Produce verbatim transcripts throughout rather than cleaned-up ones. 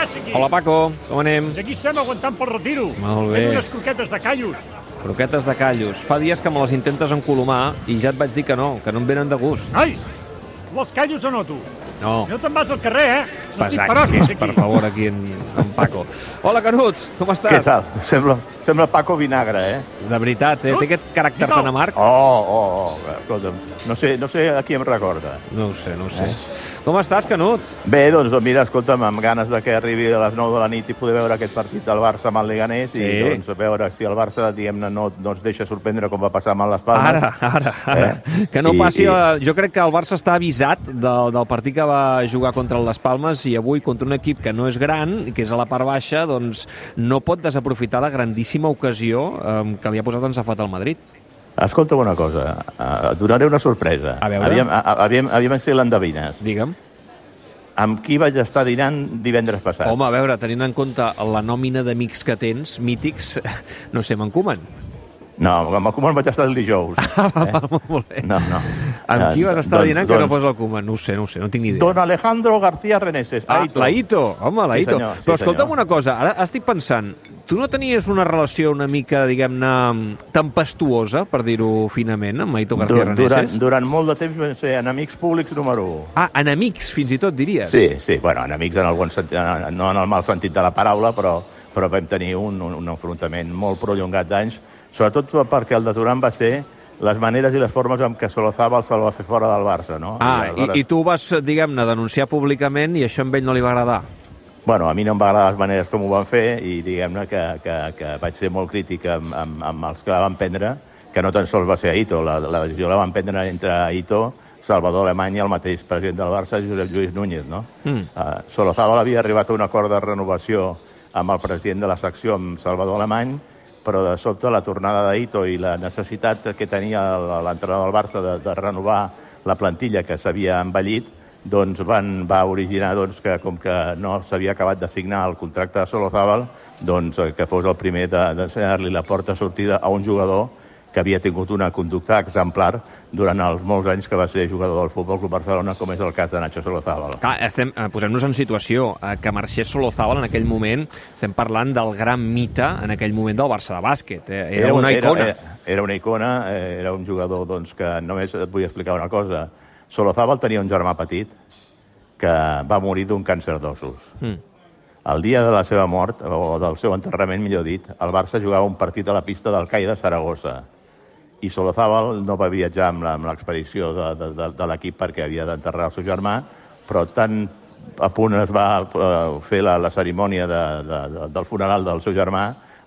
passa aquí? Hola, Paco, com anem? Doncs aquí estem aguantant pel retiro. Molt bé. Fem unes croquetes de callos. Croquetes de callos. Fa dies que me les intentes encolomar i ja et vaig dir que no, que no em venen de gust. Nois, tu vols callos o no, tu? No. No te'n vas al carrer, eh? No estic Pesat, per hòsties, aquí. per favor, aquí en, en Paco. Hola, Canut, com estàs? Què tal? Sembla, sembla Paco Vinagre, eh? De veritat, eh? Té aquest caràcter tan amarg? Oh, oh, oh, escolta'm, no sé, no sé a qui em recorda. No ho sé, no ho sé. Eh? Com estàs, Canut? Bé, doncs mira, escolta'm, amb ganes de que arribi a les nou de la nit i poder veure aquest partit del Barça amb el Leganés sí. i doncs veure si el Barça, diguem-ne, no, no ens deixa sorprendre com va passar amb les Palmes. Ara, ara, ara. Eh? Que no I, passi... I... A... Jo crec que el Barça està avisat del, del partit que va jugar contra les Palmes i avui contra un equip que no és gran, que és a la part baixa, doncs no pot desaprofitar la grandíssima ocasió eh, que li ha posat en safat al Madrid. Escolta una cosa, uh, donaré una sorpresa. A veure. Aviam, aviam, aviam si l'endevines. Digue'm. Amb qui vaig estar dinant divendres passat? Home, a veure, tenint en compte la nòmina d'amics que tens, mítics, no sé, amb en Koeman. No, amb el Koeman vaig estar el dijous. Eh? Molt bé. No, no. Amb qui vas estar doncs, dinant doncs, que no posa el Koeman? No ho sé, no ho sé, no tinc ni idea. Don Alejandro García Reneses. Ah, la Ito. Home, la Ito. Sí, senyor, sí, Però escolta'm senyor. Una cosa, ara estic pensant, tu no tenies una relació una mica, diguem-ne, tempestuosa, per dir-ho finament, amb Ito García Reneses? Durant, durant molt de temps vam ser enemics públics número u. Ah, enemics, fins i tot, diries? Sí, sí, bueno, enemics en el bon sentit, no en el mal sentit de la paraula, però, però vam tenir un, un, un enfrontament molt prolongat d'anys, sobretot perquè el de Turan va ser les maneres i les formes amb què Solozabal se'l va fer fora del Barça, no? Ah, I, aleshores... i, i tu vas, diguem-ne, denunciar públicament i això a ell no li va agradar? Bueno, a mi no em va agradar les maneres com ho van fer i diguem-ne que, que, que vaig ser molt crític amb, amb, amb els que la van prendre, que no tan sols va ser Ito, la, la decisió la van prendre entre Ito, Salvador Alemany i el mateix president del Barça, Josep Lluís Núñez, no? Mm. Uh, Solozabal havia arribat a un acord de renovació amb el president de la secció, amb Salvador Alemany, però de sobte la tornada d'Ito i la necessitat que tenia l'entrenador del Barça de, de renovar la plantilla que s'havia envellit, doncs van, va originar doncs, que com que no s'havia acabat de signar el contracte de Solozabal, doncs que fos el primer d'ensenyar-li la porta sortida a un jugador que havia tingut una conducta exemplar durant els molts anys que va ser jugador del Futbol Club Barcelona, com és el cas de Nacho Solozabal. Clar, estem, eh, posem-nos en situació, eh, que marxés Solozabal en aquell moment, estem parlant del gran mite en aquell moment del Barça de bàsquet. Eh? Era, era una icona. Era, era una icona, eh, era un jugador doncs, que només et vull explicar una cosa. Solozabal tenia un germà petit que va morir d'un càncer d'ossos. Mm. El dia de la seva mort, o del seu enterrament, millor dit, el Barça jugava un partit a la pista del CAI de Saragossa. I Solozabal no va viatjar amb l'expedició de, de, de, de l'equip perquè havia d'enterrar el seu germà, però tan a punt es va uh, fer la, la cerimònia de, de, de, del funeral del seu germà,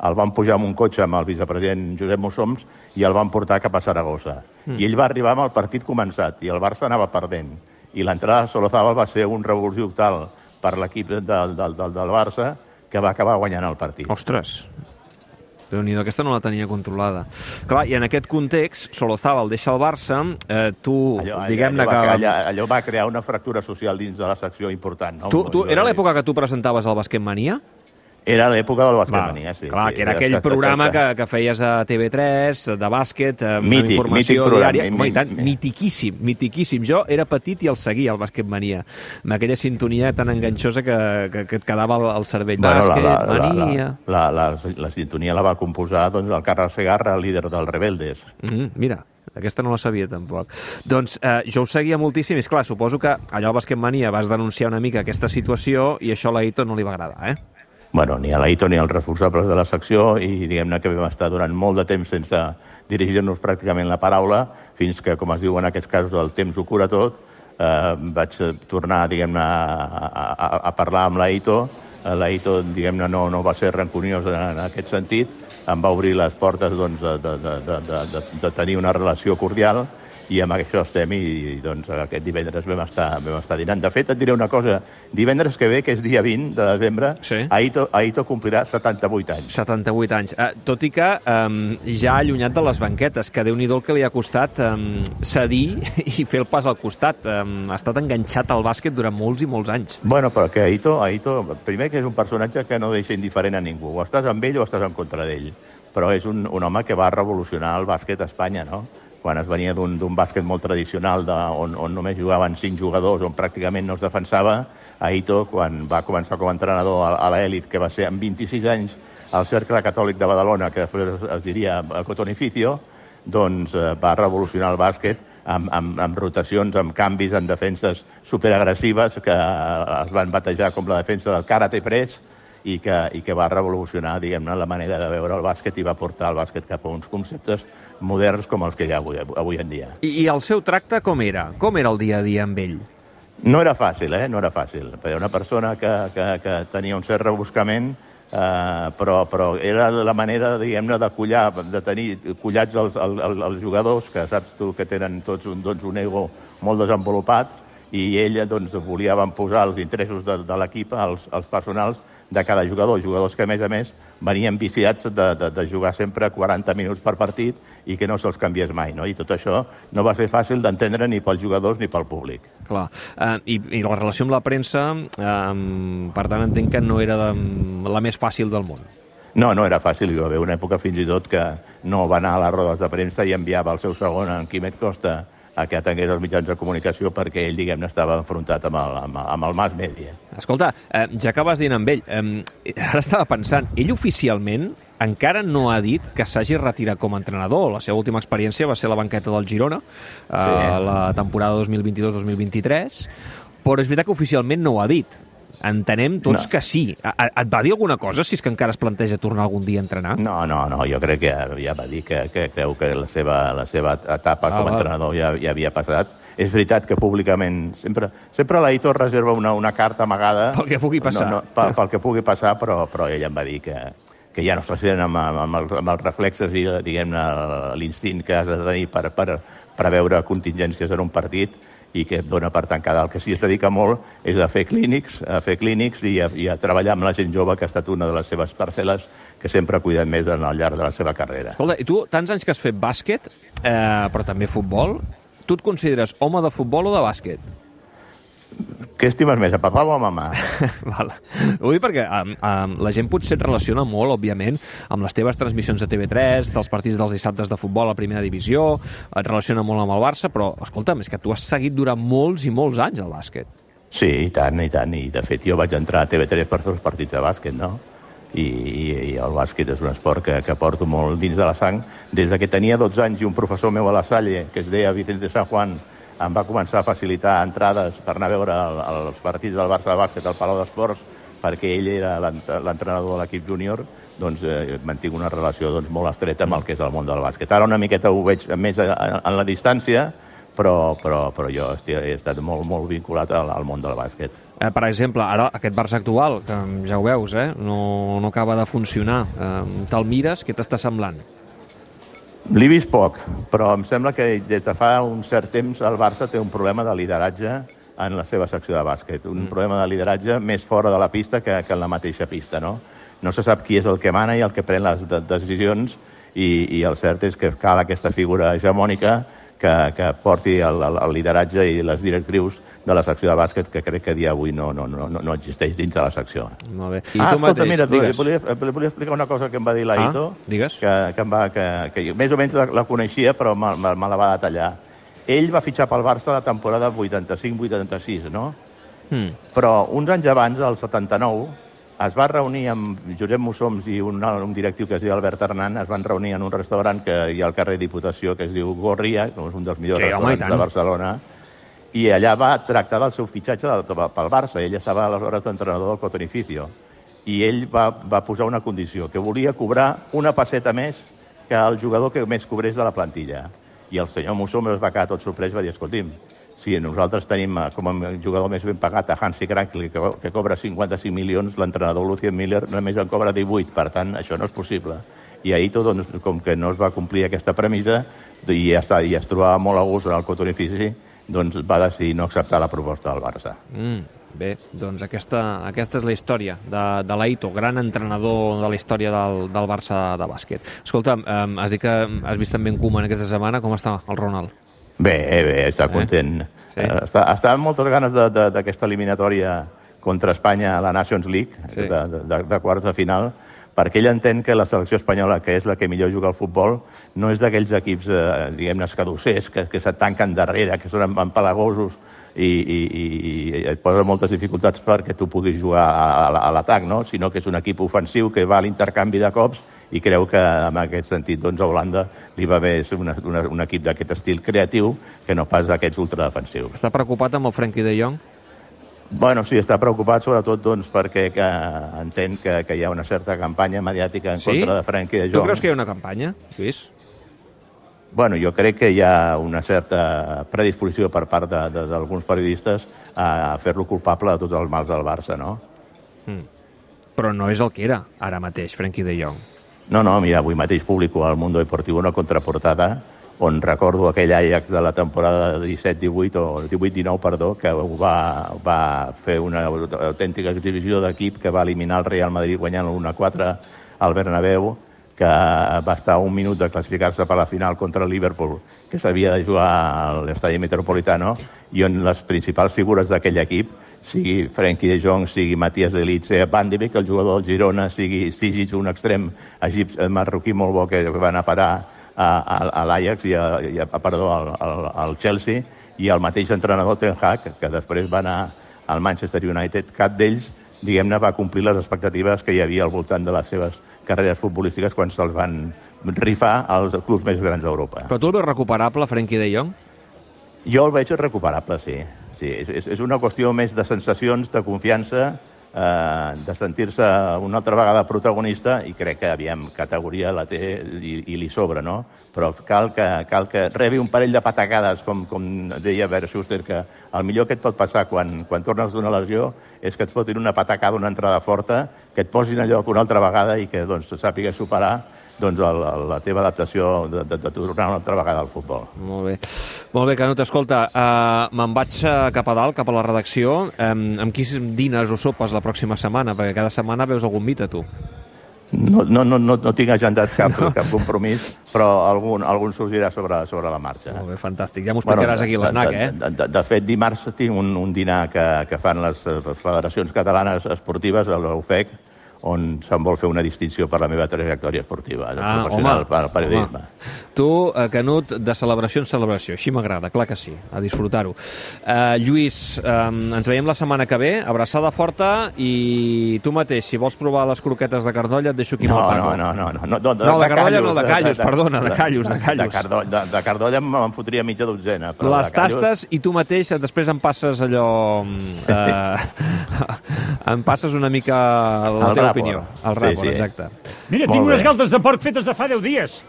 el van pujar amb un cotxe amb el vicepresident Josep Mussoms i el van portar cap a Saragossa. Mm. I ell va arribar amb el partit començat i el Barça anava perdent. I l'entrada de Solozabal va ser un revulsiu tal per l'equip del, del, del, del Barça que va acabar guanyant el partit. Ostres! Déu-n'hi-do, aquesta no la tenia controlada. Clar, i en aquest context, Solozabal deixa el Barça, eh, tu, diguem-ne que... Allò, allò va crear una fractura social dins de la secció important. No? Tu, tu, era l'època que tu presentaves el Basquet Mania? Era l'època del Basquetmania, sí. Clar, sí, que era aquell que, programa que, que feies a T V tres, de bàsquet, amb mític, informació mític diària. Programa, I tant, mitiquíssim, mitiquíssim. Jo era petit i el seguia, el Basquetmania, amb aquella sintonia tan enganxosa que, que, que et quedava al, al cervell. Bueno, Basquetmania... La, la, la, la, la sintonia la va composar doncs, el Carles Segarra, el líder dels Rebeldes. Mm, mira, aquesta no la sabia tampoc. Doncs eh, jo ho seguia moltíssim i, esclar, suposo que allò al Basquetmania vas denunciar una mica aquesta situació i això a l'Aito no li va agradar, eh? Bueno, ni a l'Aito ni als responsables de la secció i diguem-ne que vam estar durant molt de temps sense dirigir-nos pràcticament la paraula fins que, com es diu en aquests casos, el temps ho cura tot. Eh, vaig tornar, diguem-ne, a, a, a parlar amb l'Aito. L'Aito, diguem-ne, no, no va ser rancuniós en, en aquest sentit. Em va obrir les portes doncs, de, de, de, de, de, de tenir una relació cordial i amb això estem i doncs aquest divendres vam estar, vam estar dinant. De fet, et diré una cosa, divendres que ve, que és dia vint de desembre, sí. Aito, Aito complirà setanta-vuit anys. setanta-vuit anys. Eh, tot i que eh, ja allunyat de les banquetes, que Déu-n'hi-do el que li ha costat eh, cedir i fer el pas al costat. Eh, ha estat enganxat al bàsquet durant molts i molts anys. Bueno, però que Aito, Aito, primer que és un personatge que no deixa indiferent a ningú. O estàs amb ell o estàs en contra d'ell. Però és un, un home que va revolucionar el bàsquet a Espanya, no? quan es venia d'un bàsquet molt tradicional de, on, on només jugaven cinc jugadors, on pràcticament no es defensava, Aito, quan va començar com a entrenador a, a l'elit, que va ser amb vint-i-sis anys al Cercle Catòlic de Badalona, que després es diria Cotonificio, doncs eh, va revolucionar el bàsquet amb, amb, amb rotacions, amb canvis, en defenses superagressives que eh, es van batejar com la defensa del Karate Press i que, i que va revolucionar, diguem-ne, la manera de veure el bàsquet i va portar el bàsquet cap a uns conceptes moderns com els que hi ha avui, avui en dia. I, I el seu tracte com era? Com era el dia a dia amb ell? No era fàcil, eh? No era fàcil. Era una persona que, que, que tenia un cert rebuscament, eh, però, però era la manera, diguem-ne, de collar, de tenir collats els, els, els jugadors, que saps tu que tenen tots un, doncs, un ego molt desenvolupat, i ell doncs, volia posar els interessos de, de l'equip, els, els personals de cada jugador, jugadors que, a més a més, venien viciats de, de, de jugar sempre quaranta minuts per partit i que no se'ls canviés mai, no? I tot això no va ser fàcil d'entendre ni pels jugadors ni pel públic. Clar. Uh, i, I la relació amb la premsa, uh, per tant, entenc que no era de, la més fàcil del món. No, no era fàcil. Hi va haver una època fins i tot que no va anar a les rodes de premsa i enviava el seu segon, en Quimet Costa, a que atengués els mitjans de comunicació perquè ell, diguem-ne, estava enfrontat amb el, amb, amb el mass media. Escolta, eh, ja que vas dient amb ell, eh, ara estava pensant, ell oficialment encara no ha dit que s'hagi retirat com a entrenador. La seva última experiència va ser a la banqueta del Girona, eh, sí. la temporada dos mil vint-i-dos dos mil vint-i-tres, però és veritat que oficialment no ho ha dit. Entenem tots no. que sí. Et va dir alguna cosa, si és que encara es planteja tornar algun dia a entrenar? No, no, no, jo crec que ja va dir que, que creu que la seva, la seva etapa ah, com a entrenador ja, ja havia passat. És veritat que públicament sempre, sempre l'Aitor reserva una, una carta amagada pel que pugui passar, no, no, pel, pel que pugui passar, però, però ell em va dir que, que ja no s'assenten amb, amb, els, amb els reflexes i, diguem-ne, l'instint que has de tenir per, per preveure contingències en un partit, i que dona per tancada. El que sí es dedica molt és a fer clínics, a fer clínics i a, i a treballar amb la gent jove, que ha estat una de les seves parcel·les que sempre ha cuidat més al llarg de la seva carrera. Escolta, i tu, tants anys que has fet bàsquet, eh, però també futbol, tu et consideres home de futbol o de bàsquet? Què estimes més, a papà o a mamà? Val. Ho dic perquè um, um, la gent potser et relaciona molt, òbviament, amb les teves transmissions de T V tres, dels partits dels dissabtes de futbol a primera divisió, et relaciona molt amb el Barça, però, escolta'm, és que tu has seguit durant molts i molts anys el bàsquet. Sí, i tant, i tant. I, de fet, jo vaig entrar a T V tres per fer els partits de bàsquet, no? I, i, i el bàsquet és un esport que, que porto molt dins de la sang. Des que tenia dotze anys i un professor meu a la Salle, que es deia Vicente San Juan, em va començar a facilitar entrades per anar a veure el, els partits del Barça de bàsquet al Palau d'Esports, perquè ell era l'entrenador de l'equip júnior, doncs eh, mantinc una relació doncs, molt estreta amb el que és el món del bàsquet. Ara una miqueta ho veig més en la distància, però, però, però jo he estat molt, molt vinculat al, al món del bàsquet. Eh, per exemple, ara aquest Barça actual, que ja ho veus, eh, no, no acaba de funcionar. Eh, Te'l mires, què t'està semblant? L'he vist poc, però em sembla que des de fa un cert temps el Barça té un problema de lideratge en la seva secció de bàsquet. Un mm. problema de lideratge més fora de la pista que, que en la mateixa pista, no? No se sap qui és el que mana i el que pren les de decisions i, i el cert és que cal aquesta figura hegemònica que, que porti el, el, el lideratge i les directrius de la secció de bàsquet, que crec que a dia d'avui no, no, no, no existeix dins de la secció. Molt bé. I ah, tu escolta, mateix, mira, digues. Volia, volia explicar una cosa que em va dir l'Aito, ah, digues. que, que, em va, que, que jo més o menys la, la coneixia, però me, me, me la va detallar. Ell va fitxar pel Barça la temporada vuitanta-cinc vuitanta-sis, no? Hmm. Però uns anys abans, el setanta-nou, es va reunir amb Josep Mussoms i un, un directiu que es diu Albert Hernán, es van reunir en un restaurant que hi ha al carrer Diputació, que es diu Gorria, que és un dels millors sí, restaurants de Barcelona, i allà va tractar del seu fitxatge pel Barça. Ell estava aleshores d'entrenador del Cotonificio. I ell va, va posar una condició, que volia cobrar una passeta més que el jugador que més cobrés de la plantilla. I el senyor Mussoms es va quedar tot sorprès i va dir, escolti'm, si nosaltres tenim com a jugador més ben pagat a Hansi Krankel, que, que cobra cinquanta-cinc milions, l'entrenador Lucien Miller només en cobra divuit, per tant, això no és possible. I ahir tot, doncs, com que no es va complir aquesta premissa i ja està, i es trobava molt a gust en el Cotonifici, doncs va decidir no acceptar la proposta del Barça. Mm, bé, doncs aquesta, aquesta és la història de, de l'Aito, gran entrenador de la història del, del Barça de bàsquet. Escolta, eh, has dit que has vist també en Koeman aquesta setmana. Com està el Ronald? Bé, bé, està content. Eh? Sí. Està, està amb moltes ganes d'aquesta eliminatòria contra Espanya a la Nations League, sí. de, de, de quarts de final, perquè ell entén que la selecció espanyola, que és la que millor juga al futbol, no és d'aquells equips, eh, diguem-ne, escadossers, que, que se tanquen darrere, que són empalagosos i, i, i et posen moltes dificultats perquè tu puguis jugar a, a l'atac, no? Sinó que és un equip ofensiu que va a l'intercanvi de cops i creu que en aquest sentit doncs, a Holanda li va bé ser una, una, un equip d'aquest estil creatiu que no pas aquests ultradefensius. Està preocupat amb el Frenkie de Jong? Bueno, sí, està preocupat sobretot doncs, perquè que entén que, que hi ha una certa campanya mediàtica en sí? contra de Frenkie de Jong. Tu creus que hi ha una campanya, Lluís? Bueno, jo crec que hi ha una certa predisposició per part d'alguns periodistes a fer-lo culpable de tots els mals del Barça, no? Mm. Però no és el que era ara mateix, Frenkie de Jong. No, no, mira, avui mateix publico al Mundo Deportivo una contraportada on recordo aquell Ajax de la temporada disset divuit o divuit dinou, perdó, que va, va fer una autèntica exhibició d'equip que va eliminar el Real Madrid guanyant l'u a quatre al Bernabéu, que va estar un minut de classificar-se per la final contra el Liverpool, que s'havia de jugar a l'estadi Metropolitano, i on les principals figures d'aquell equip, sigui Frenkie de Jong, sigui Matías de Ligt, sigui Van de Beek, el jugador del Girona, sigui Sigic, un extrem egipci marroquí molt bo que va anar a parar a, a, a l'Ajax i, a, i a, perdó, al, al, al Chelsea, i el mateix entrenador Ten Hag, que després va anar al Manchester United, cap d'ells, diguem-ne, va complir les expectatives que hi havia al voltant de les seves carreres futbolístiques quan se'ls van rifar als clubs més grans d'Europa. Però tu el veus recuperable, Frenkie de Jong? Jo el veig recuperable, sí. sí és, és una qüestió més de sensacions, de confiança, eh, de sentir-se una altra vegada protagonista, i crec que, aviam, categoria la té i, i li sobra, no? Però cal que, cal que rebi un parell de patacades, com, com deia Bert Schuster, que el millor que et pot passar quan, quan tornes d'una lesió és que et fotin una patacada, una entrada forta, que et posin a lloc una altra vegada i que doncs, sàpigues superar doncs, el, la teva adaptació de, de, de tornar una altra vegada al futbol. Molt bé. Molt bé, Canut. Escolta, uh, me'n vaig cap a dalt, cap a la redacció. Um, amb qui dines o sopes la pròxima setmana? Perquè cada setmana veus algun mite, tu. No, no, no, no, no tinc agendat cap, no. cap compromís, però algun, algun sorgirà sobre, sobre la marxa. Molt bé, fantàstic. Ja m'ho explicaràs bueno, aquí a l'Snac, eh? De, de, de fet, dimarts tinc un, un dinar que, que fan les federacions catalanes esportives de l'U F E C, on se'n vol fer una distinció per la meva trajectòria esportiva, de ah, professional, home, per periodisme. Home. Tu, eh, Canut, de celebració en celebració. Així m'agrada, clar que sí, a disfrutar-ho. Uh, Lluís, um, ens veiem la setmana que ve, abraçada forta, i tu mateix, si vols provar les croquetes de Cardolla, et deixo aquí no, amb el Paco. No, no, no. No, no, de, no de, de Cardolla callos, no, de Callos, de, de, perdona, de Callos, de Callos. De, Cardo, de, de Cardolla me'n fotria mitja dotzena. Però les tastes i tu mateix després em passes allò... Eh, em passes una mica la teva opinió. El ràpor, sí, sí. Exacte. Mira, tinc unes galtes de porc fetes de fa deu dies.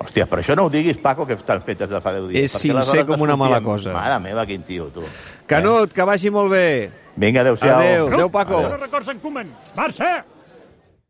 Hòstia, però això no ho diguis, Paco, que estan fetes de fa deu dies. És sincer com una mala cosa. Mare meva, quin tio, tu. Canut, eh? Que vagi molt bé. Vinga, adéu-siau. Adéu, adéu, Paco. Adéu, records en Koeman. Barça!